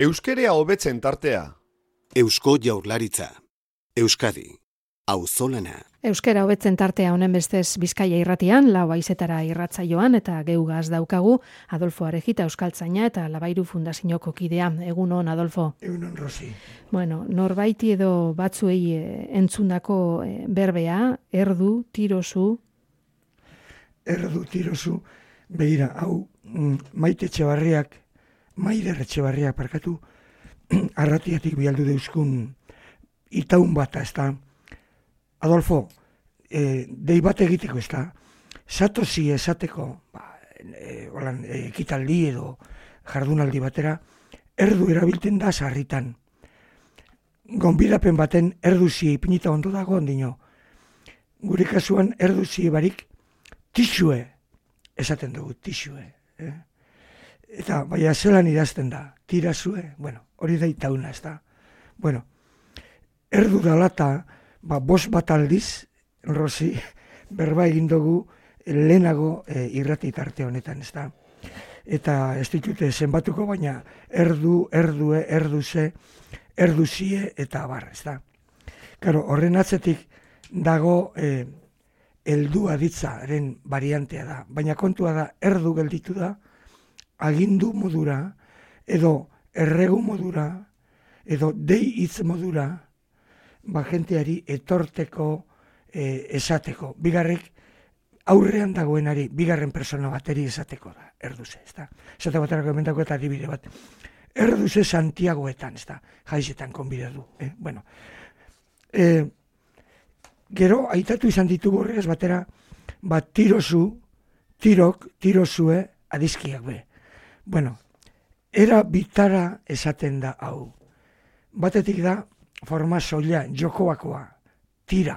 Euskerea hobetzen tartea. Eusko Jaurlaritza. Euskadi. Auzolana. Euskera hobetzen tartea honen bestez Bizkaia irratian, lau haizetara irratsaioan eta geugaz daukagu Adolfo Arejita euskaltzaina eta Labairu Fundazioko kidea. Egunon, Adolfo. Egunon, Rosi. Bueno, norbaiti edo batzuei entzundako berbea, erdu, tirozu. Erdu, tirozu, behira, hau Maider Etxebarriak parkatu, arratiatik bialdu deuzkun itaun bat, ez da. Adolfo, dei bat egiteko, ez da, satozi esateko, ekitaldi edo jardunaldi batera, erdu erabiltzen da sarritan. Gonbidapen baten erduzi ipinita ondo dago ondino. Gure kasuan erduzi barik tixue esaten dugu, tixue. Eta baina zelan idazten da, tirazue, bueno, hori da itauna, ez da. Bueno, erdu dalata, bost bat aldiz, Rosi, berba egin dugu lehenago irrati tarte honetan, ez da. Eta ez ditute zenbatuko, baina erdu, erdue, erduze, erduzie eta abar, ez da. Karo, horren atzetik dago heldua ditzaren variantea da, baina kontua da, erdu gelditu da, agindu modura, edo erregu modura, edo dei hitz modura, jenteari etorteko, esateko. Bigarrek, aurrean dagoenari, bigarren persona bateri esateko da, erduze, ez da. Esate baterako emendako eta adibide bat. Erduze Santiagoetan, ez da, jaizetan konbide du. Bueno, gero, aitatu izan ditugu horregaz batera, tirozu, tirok, tirozue, adizkiak be. Bueno, era bitara esaten da hau. Batetik da, forma soila, jokoakoa, tira.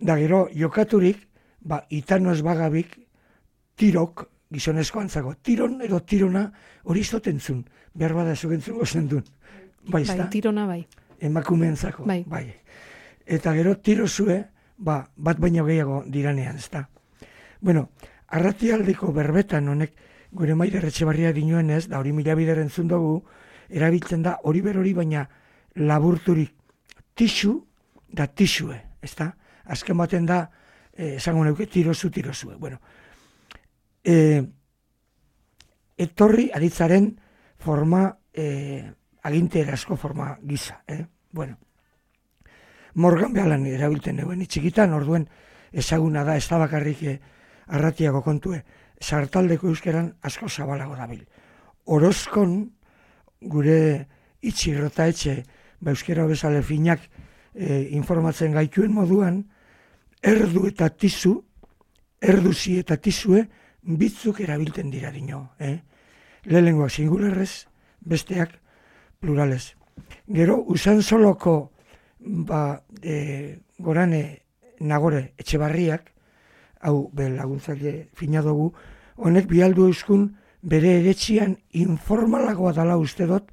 Da gero, jokaturik, itanoz bagabik, tirok, gizonezko antzago, tiron edo tirona hori izotentzun, behar bada zugentzun gozen duen. Bai, tirona bai. Emakumeentzako, bai. Eta gero, tirozue, bat baino gehiago diranean, ez da. Bueno, arratialdeko berbetan honek, gure Maider Etxebarria dinoen ez, da hori mila bider entzun dugu, erabiltzen da hori berori baina laburturik tixu da tixue, ez da? Azken baten da, esango neuke, tirozue. Bueno, etorri aditzaren forma, aginte erazko forma gisa. Bueno, Morgan behalan erabiltzen neuen txikitan, orduen ezaguna da, ez da bakarrik arratiako kontue, sartaldeko euskeran asko zabalago dabil. Orozkon, gure itxirrota etxe, euskera bezale finak informatzen gaituen moduan, erdu eta tizu, erduzi eta tizue, bitzuk erabiltzen dira dino. Lehenengoak singularrez, besteak pluralez. Gero, usan soloko gorane Nagore Etxebarriak, hau laguntzaile fina dugu, honek bialdu euskun bere eretxian informalagoa dala uste dut,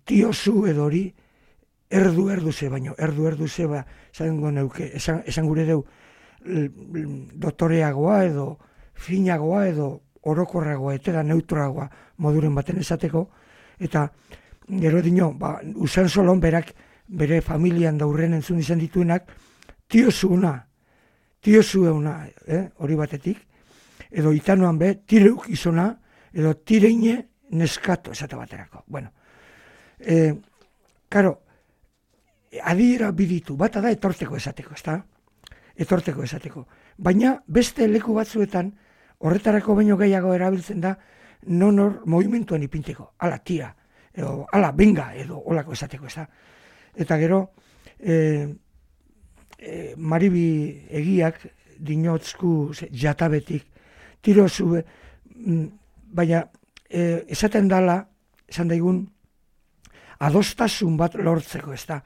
tiozu edo hori erduze, baino erduze esan gure deu dotoreagoa edo finagoa edo orokorragoa eta neutroagoa moduren baten esateko, eta gero dino, usan solon berak bere familian daurren entzun izan dituenak, tiozuena, hori batetik, edo itanoan tireuk izona, edo tireine neskato esate baterako. Bueno, karo, adiera biditu, bata da etorteko esateko, ez da? Etorteko esateko. Baina beste leku batzuetan, horretarako baino gehiago erabiltzen da, nonor movimentuan ipinteko, ala tira, edo ala benga, edo olako esateko, ez da? Eta gero, Maribi egiak dinotzku jatabetik tirozu, baina esaten dala, esan daigun, adostasun bat lortzeko, ez da.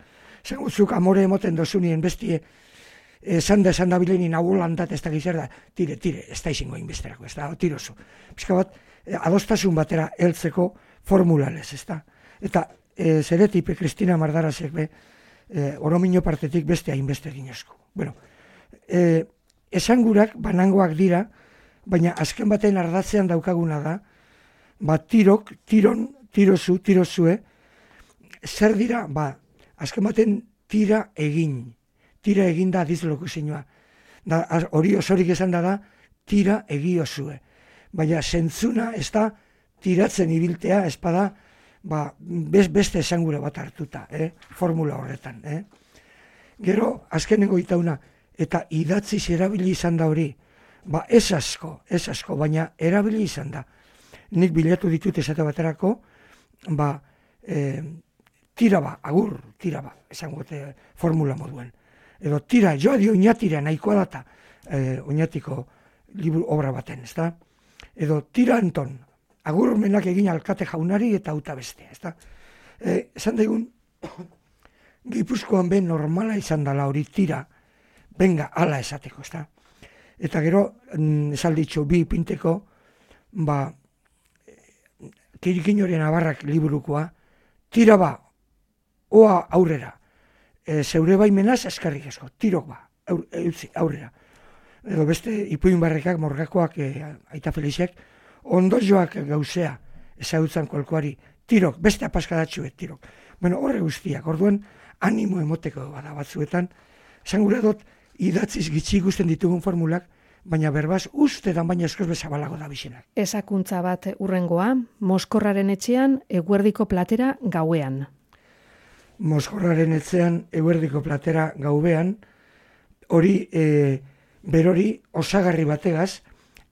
Esan gutzuk amore emoten dozunien bestie, esan da bilenin hau landat ez da gizar da, tire, ez da izango inbesterako, ez da, tirozu. Pizka bat, adostasun batera heltzeko formulalez, ez da. Eta zeretipe Kristina Mardarazek oromino partetik beste hainbeste dinozko. Bueno, esangurak banangoak dira, baina azken baten ardatzean daukaguna da, tirozue, zer dira, azken baten tira egin da adizlokuzinua. Hori osorik esan da, tira egiozue. Baina zentzuna ez da tiratzen ibiltea, espada, beste esangura bat hartuta, formula horretan. Gero, azkenengo itauna, eta idatziz erabili izan da hori, ez asko, baina erabili izan da. Nik bilatu ditut esate baterako, agur, esango formula moduen. Edo tira, joa di oinatira, nahikoa data, oinatiko liburu obra baten, ez da? Edo tira Anton, agurmenak egin alkate jaunari eta auta bestea, ez da? Esan daigun, Gipuzkoan normala izan dela hori tira, benga, ala esateko, ez da? Eta gero, esalditxo, bi pinteko, Kirikinoren Abarrak liburukoa, tira oa aurrera, zeure baimenaz eskarrik esko, tirok aurrera. Edo beste Ipuin Barrekak, Morgakoak, Aita Feliziak, ondo joak gauzea, ezagutzan kolkoari, tirok, beste apaskadatxuet, tirok. Bueno, horre guztiak, orduan, animo emoteko bada batzuetan, esan gura dut, idatziz gitxi ikusten ditugun formulak, baina berbaz, ustetan baina eskoz bezabalago da bizenak. Ezakuntza bat urrengoa, Moskorraren etxean, eguerdiko platera gauean. Moskorraren etxean, eguerdiko platera gauean, hori, berori osagarri bategaz,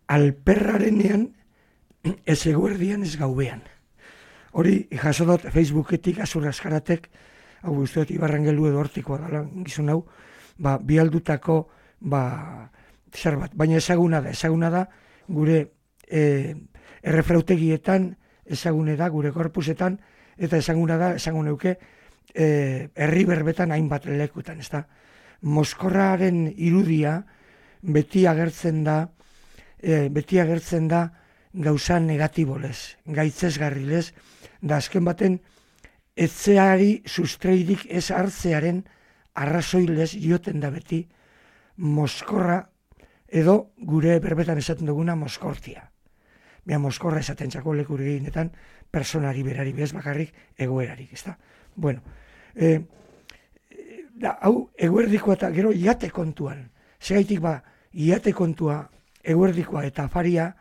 alperrarenean, ez eguerdian ez gauean. Hori, jasodot Facebooketik, azurraskaratek, hau guztiot Ibarrangelu edo hortikoa dala, gizun hau, bialdutako, zer bat, baina ezaguna da, gure errefrautegietan, ezagune da, gure korpusetan, eta ezaguneuke, herri berbetan hainbat lekutan, ez da. Moskorraren irudia beti agertzen da gauza negatibolez, gaitzesgarrilez, da azken baten etzeari sustreirik ez hartzearen arrazoilez joten da beti Moskorra edo gure berbetan esaten duguna Moskortia. Moskorra esaten txako leku eginetan personari berari bez bakarrik egoerarik, ez da? Bueno, hau eguerdikoa eta gero iate kontuan, segaitik iate kontua eguerdikoa eta afaria,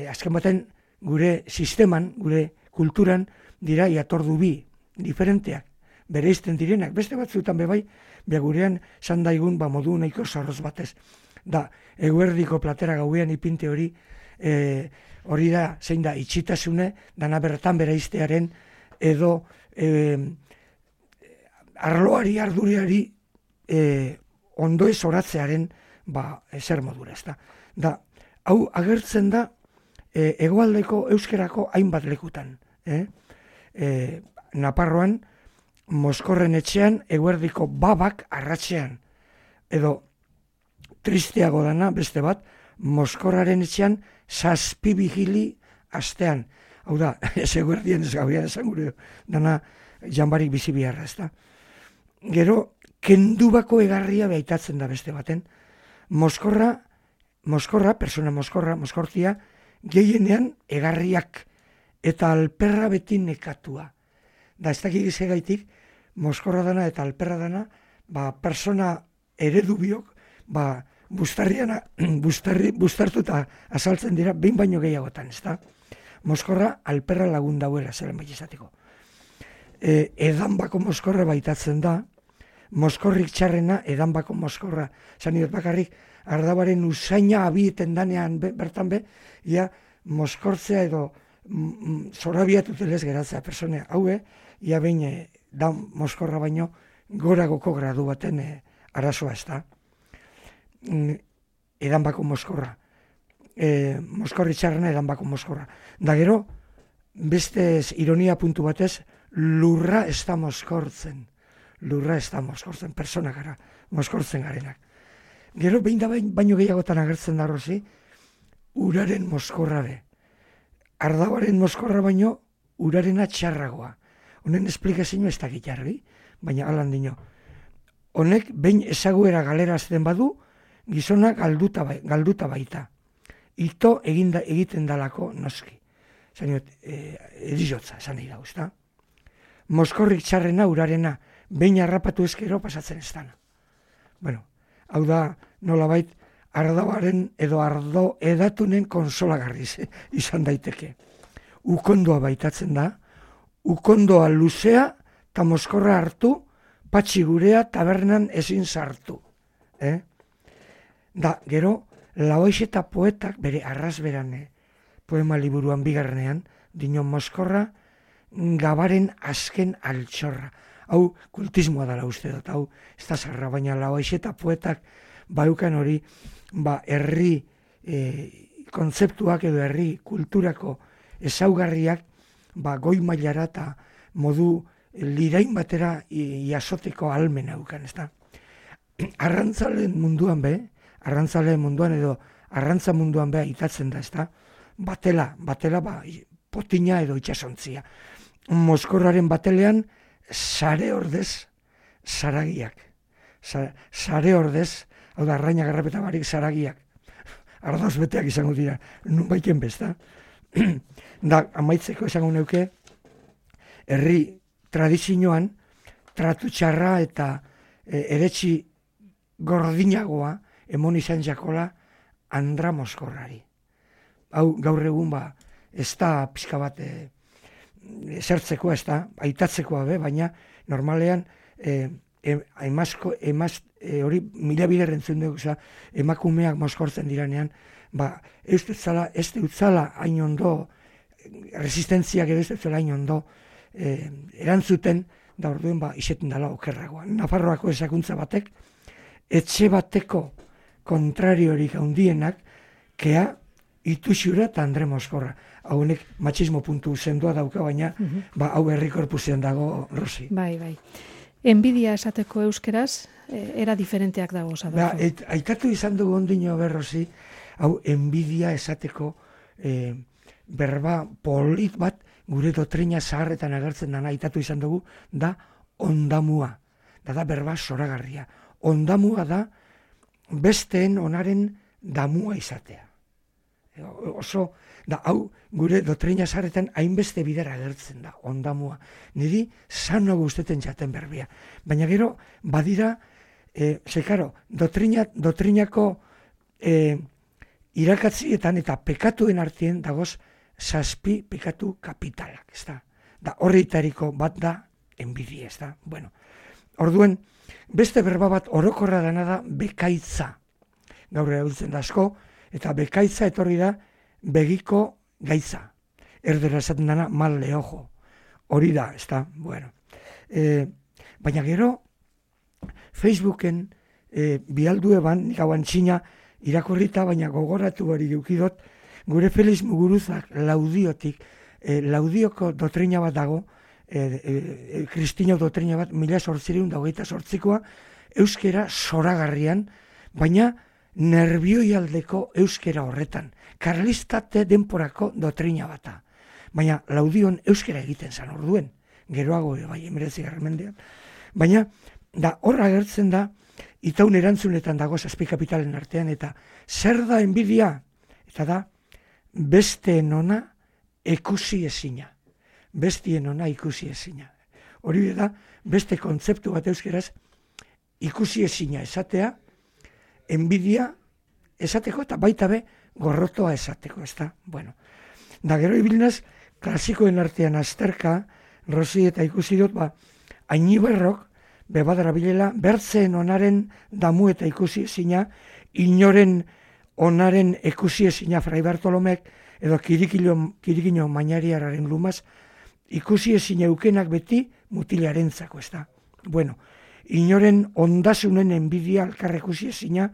azken baten gure sisteman, gure kulturan dira iatordu bi, diferenteak, bereizten direnak, beste batzuetan bebai, gurean sandaigun modu nahiko zorroz batez. Da, eguerdiko platera gauean ipinte hori, hori da, zein da, itxitasune, dana bertan bereiztearen, edo arloari, arduriari ondo ez oratzearen zer modura, ez da. Da, hau agertzen da hegoaldeko euskerako hainbat lekutan. Naparroan, Moskorren etxean, eguerdiko babak arratsean. Edo, tristeago dana, beste bat, Moskorraren etxean, zazpibigili astean. Hau da, ez eguerdien ez gauean esan gure, dana janbarik bizi biharra, ez da. Gero, kendubako egarria behitatzen da beste baten. Moskorra, persona Moskortia, gehienean egarriak eta alperra beti nekatua. Da, ez dakik izegaitik, Moskorra dana eta alperra dana, persona eredu biok, bustartuta azaltzen dira, behin baino gehiagotan, ez da? Moskorra alperra lagun dauela, zelen bai izateko. Edanbako Moskorra baitatzen da, Moskorrik txarrena, edanbako Moskorra. Zaniot bakarrik, ardabaren usaina abieten danean bertan ia Moskortzea edo zorabiatutelez geratzea personea. Haue, ia behin da Moskorra baino goragoko gradu baten arazoa ez da. Edanbako Moskorra. Moskorri txarrena edanbako Moskorra. Da gero, beste ironia puntu batez, lurra ez da moskortzen. Lurra ez da moskortzen, persona gara, moskortzen garenak. Gero, behin da baino gehiagotan agertzen da rozi, uraren moskorra be. Ardabaren moskorra baino, urarena txarragoa. Honen esplikazio ez da gitarri, baina alan dino. Honek, behin ezaguera galerazten badu, gizona galduta baita. ito egiten dalako noski. Zaniot, erizotza, esan nahi dago, ezta? Moskorrik txarrena urarena, behin harrapatu ezkero pasatzen ez dana. Bueno, hau da nolabait ardoaren edo ardo edatunen konsolagarriz izan daiteke. Ukondoa baitatzen da, ukondoa luzea eta moskorra hartu, patxi gurea tabernan ezin sartu. Da, gero, Laoixeta poetak bere arrazberan poema liburuan bigarrenean, dino moskorra gabaren azken altxorra. Hau kultismoa dela uste dut, hau ez da zarra, baina Laoixeta poetak baukan hori, herri kontzeptuak edo herri kulturako ezaugarriak goi mailara eta modu lirain batera jasoteko almen haukan, ez da. Arrantzalen munduan edo arrantza munduan itatzen da, ez da. Batela, potina edo itxasontzia. Moskorraren batelean, sare ordez, saragiak. Sare ordez, hau da, arraina garrapeta barik saragiak. Ardauz beteak izango dira, nun baiken bezta. Da, amaitzeko esango neuke, herri tradizioan, tratu txarra eta eretsi gordinagoa emon izan jakola Andra Moskorrari. Hau gaur egun ez da pixka bat zertzekoa, ez da, aitatzekoa baina normalean hori mila bider entzun dugu, emakumeak moskortzen diranean, ez dutzala hain ondo, resistentziak edo ez dutzala hain ondo erantzuten, da orduen iseten dela okerragoa. Nafarroako ezakuntza batek, etxe bateko kontrariorik handienak, kea Ituxura eta Andre Moskorra. Haunek matxismo puntu sendoa dauka, baina hau herri korpusean dago, Rosi. Bai. Enbidia esateko euskeraz, era diferenteak dago, Adolfo. Aikatu izan dugu ondino Rosi, hau enbidia esateko berba polit bat gure dotrina zaharretan agertzen dana aitatu izan dugu, da ondamua. Da berba zoragarria. Ondamua da besteen onaren damua izatea. Oso, da hau gure dotrina zaharretan hainbeste bidera agertzen da, ondamua. Niri zano guzteten jaten berbia. Baina gero, badira, dotrinako irakatzietan eta pekatuen artien dagoz zazpi pekatu kapitalak, ez da. Da horreitariko bat da enbidia, ez da. Bueno, orduen, beste berba bat orokorra dena da bekaitza. Gaur erabiltzen da asko, eta bekaitza etorri da begiko gaitza. Erdera esaten dena mal de ojo. Hori da, ez da. Bueno. Baina gero, Facebooken bialdue nik hauan txina irakurrita, baina gogoratu hori dukidot, gure Felix Muguruzak Laudiotik, Laudioko dotrina bat dago, Kristino dotrina bat, 1828koa, euskera zoragarrian, baina nerbioialdeko euskera horretan. Karlistate denporako dotrina bata. Baina Laudion euskera egiten zan orduen. Geroago, bai, 19. mendean. Baina, da horra agertzen da, itaun erantzunetan dago zazpi kapitalen artean, eta zer da enbidia? Eta da, besteen ona ikusi ezina. Bestien ona ikusi ezina. Hori da, beste kontzeptu bat euskeraz, ikusi ezina esatea, enbidia esateko eta baita be gorrotoa esateko, ez da? Bueno, da gero ibilinaz, klasikoen artean azterka, Rosi eta ikusi dut, Ainiberrok, bebadara bilela, bertzeen onaren damu eta ikusi ezina, inoren onaren ikusi ezina Fray Bartolomek, edo kirikino mainariararen lumaz, ikusi ezina eukenak beti mutilarentzako, ez da? Bueno, inoren ondasunen enbidia alkarre ikusi ezina,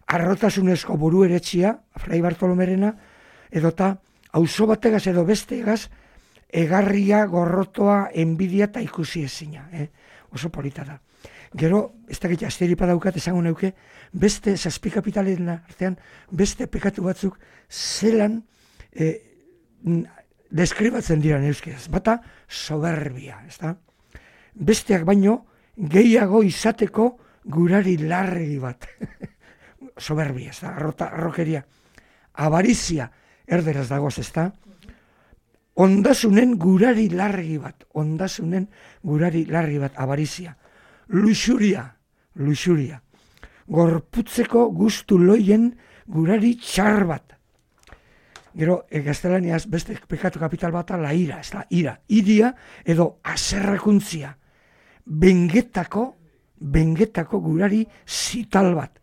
arrotasunezko buru eretxia, Fray Bartolomerena, edota auzo bategaz edo bestegaz, egarria, gorrotoa, enbidia eta ikusi ezina. Oso polita da. Gero, ez dakit asteripa daukat esango neuke, beste zazpi kapitalen artean, beste pekatu batzuk zelan deskribatzen dira euskeraz. Bata, soberbia, ez da? Besteak baino, gehiago izateko gurari larregi bat. Soberbia, ez da? Arrokeria. Avarizia, erderaz dagoz, ezta? Ondasunen gurari larregi bat, avarizia. Luxuria. Gorputzeko gustu loien gurari txar bat. Gero, gaztelaniaz beste pekatu kapital bata la ira, ez da, iria edo aserrakuntzia. Bengetako gurari zital bat.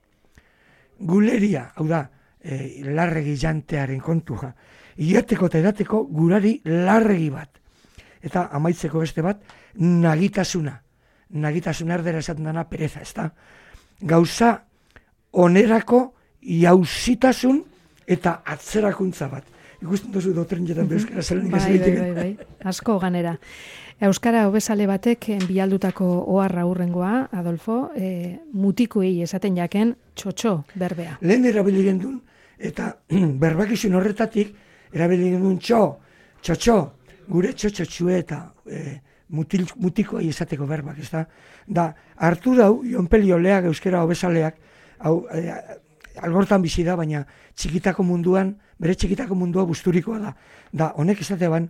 Guleria, hau da, larregi jantearen kontua. Iateko eta edateko gurari larregi bat. Eta amaitzeko beste bat, nagitasuna. Nagitasuna erdera esaten dana pereza, ez da. Gauza onerako jauzitasun eta atzerakuntza bat. Ikusten duzu dotrenetan euskara zelenik ez egiteko. Bai, asko ganera. Euskara hobesale batek bialdutako oharra hurrengoa, Adolfo, mutikuei esaten jaken txotxo berbea. Lehen erabili gendun, eta berbakizun horretatik, erabili gendun txotxo, gure txotxotxue eta mutikoei esateko berbak, ez da? Da, hartu dau, Ionpeli Oleak, euskara hobesaleak, hau, algortan bizi da, baina bere txikitako mundua busturikoa da. Da, honek esateban,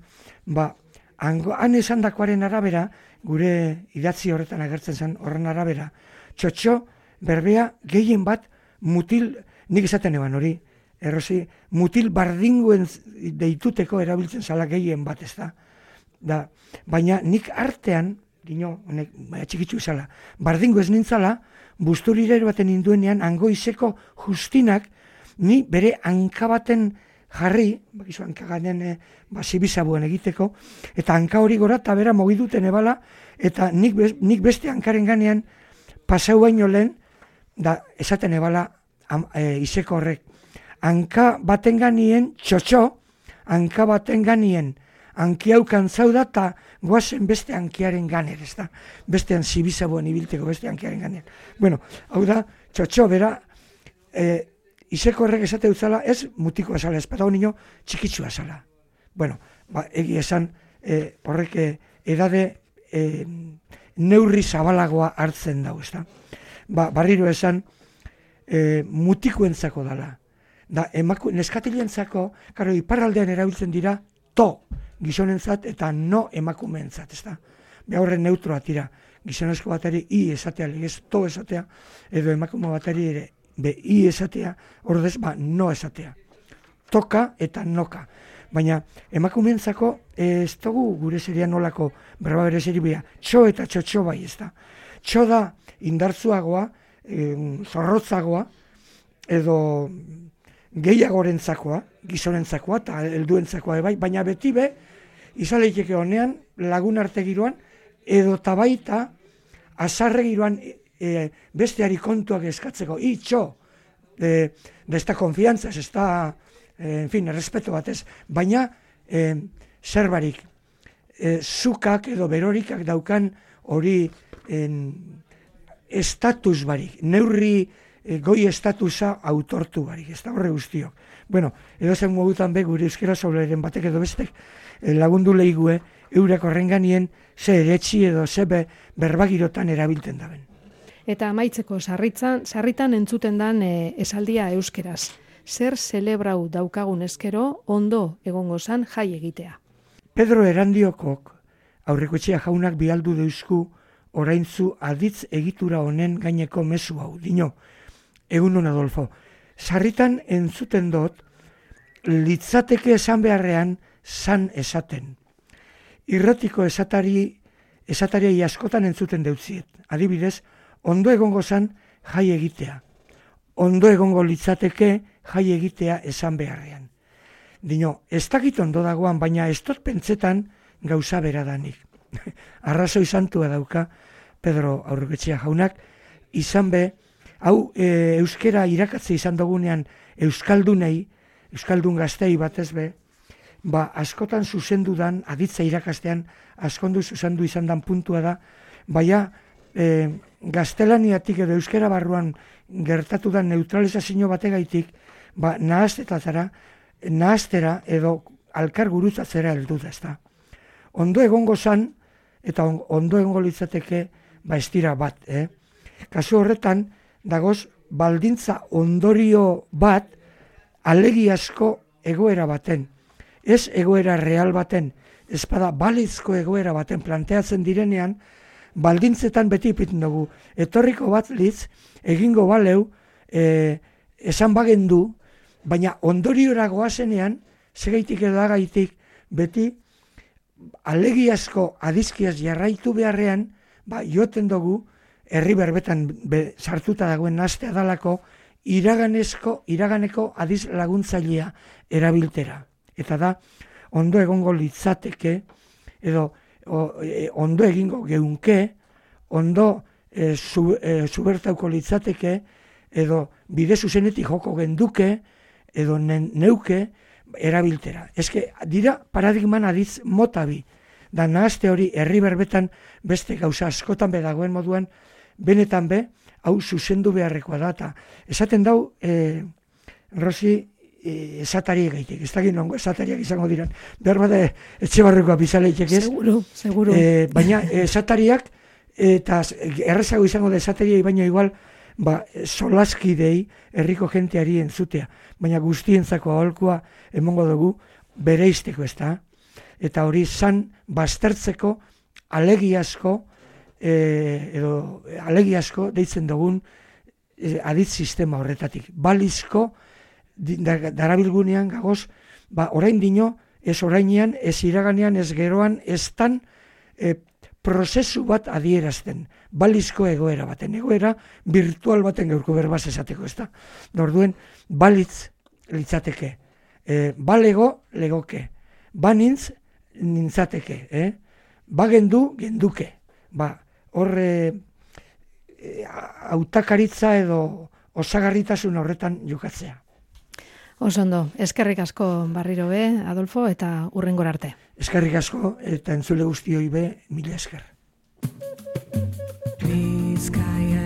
han esandakoaren arabera, gure idatzi horretan agertzen zen horren arabera, txotxo berbea gehien bat mutil, nik esaten eban hori, errozi, mutil bardinguen deituteko erabiltzen zala gehien bat, ez da. Baina nik artean, honek, txikitzu izala, bardingu ez nintzala, busturire baten induenean, angoizeko justinak, ni bere hanka baten jarri, bakizu hankaganen zibizabuen egiteko, eta hanka hori gora eta bera mogiduten ebala, eta nik beste hankaren ganean pasau baino lehen, da esaten ebala izeko horrek. Hanka baten ganien txotxo, hanka baten ganien hankiaukan zauda eta goazen beste hankiaren ganer, ez da? Bestean zibizabuen ibilteko beste hankiaren ganer. Bueno, hau da, txotxo bera, izeko horrek esate dutzala, ez mutiko azala, ez patagonino txikitsua azala. Bueno, egi esan, horrek edade neurri zabalagoa hartzen dau, ez da? Barriro esan, mutikoentzako dala. Da, neskatilientzako, karo, iparraldean erabiltzen dira, gizonentzat eta no emakumeentzat, ez da? Horren neutroa tira, gizonezko bateri i esatea, legez to esatea, edo emakume bateri ere i esatea, ordez no esatea. Toka eta noka. Baina emakumeentzako ez dugu gure serian nolako berba bere seribia, txo eta txotxo bai, ez da? Txo da indartzuagoa, zorrotzagoa, edo gehiagorentzakoa, gizonentzakoa eta helduentzakoa bai, baina beti izaleiteke honean lagun arte giroan, edo tabaita azarre giroan besteari kontuak eskatzeko, txo, de esta konfiantzaz, ez da, en fin, respeto batez, baina zerbarik, zukak edo berorikak daukan hori estatus barik, neurri goi estatusa autortu barik, ez da horre guztiok. Bueno, edo zen modutan gure euskera sobleren batek edo bestek lagundu lehigue, eurak horren ganien ze eretxi edo ze berbagirotan erabilten daben. Eta amaitzeko sarritan entzuten dan esaldia euskeraz. Zer zelebrau daukagun eskero ondo egongo zan jai egitea. Pedro Erandiokok aurrekoetxea jaunak bialdu deusku oraintzu aditz egitura honen gaineko mezu hau. Dino, egunon Adolfo, sarritan entzuten dut litzateke esan beharrean zan esaten. Irratiko esatariei askotan entzuten deutziet. Adibidez, ondo egongo zan jai egitea. Ondo egongo litzateke jai egitea esan beharrean. Dino, ez dakit ondo dagoan, baina ez dut pentsetan gauza beradanik. Arrazoi santua dauka Pedro Aurrekoetxea jaunak, izan hau euskera irakatze izan dugunean euskaldun gaztei batez askotan zuzendudan, aditza irakastean, askondu zuzendu izan dan puntua da, baina gaztelaniatik edo euskera barruan gertatu da neutralizazio bategaitik, nahastera edo alkar gurutzatzera heldu da, ezta. Ondo egongo zan, eta ondo egongo litzateke, ez dira bat, Kasu horretan, dagoz, baldintza ondorio bat, alegiazko egoera baten, ez egoera real baten, ez bada balizko egoera baten planteatzen direnean, baldintzetan beti ipiten dugu. Etorriko bat litz, egingo baleu, esan bagendu, baina ondoriora goazenean, segaitik edo agaitik, beti alegiazko adizkiaz jarraitu beharrean, joten dugu, herri berbetan sartuta dagoen nastea dalako, iraganeko adiz laguntzailea erabiltera. Eta da, ondo egongo litzateke, edo ondo egingo geunke, ondo zubertauko litzateke, edo bide zuzenetik joko genduke, edo neuke erabiltera. Eske dira paradigman adiz motabi, da nahazte hori herri berbetan beste gauza askotan dagoen moduan, benetan hau zuzendu beharrekoa da. Ta esaten dau, Rosi, esatariek gaitek, ez dakit nongo esatariak izango diran, behar bada etxe barrekoa bizaleitek ez? Seguro. Baina esatariak, eta errezago izango da esatariai, baina igual, solaskidei herriko jenteari entzutea, baina guztientzako aholkua emongo dugu bereizteko, ez da? Eta hori zan baztertzeko alegiazko, edo alegiazko deitzen dugun aditz sistema horretatik. Balizko darabilgunean gagoz, orain dino, ez orainean, ez iraganean, ez geroan, ez tan prozesu bat adierazten. Balizko egoera baten, egoera virtual baten gaurko berbaz esateko, ez da? Orduen, balitz litzateke. Balego, legoke. Banintz, nintzateke. Bagendu, genduke. Horre hautakaritza edo osagarritasun horretan jokatzea. Osondo, eskerrik asko barriro be, Adolfo, eta hurrengora arte. Eskerrik asko, eta entzule guztioi be, mila esker. Bizkaia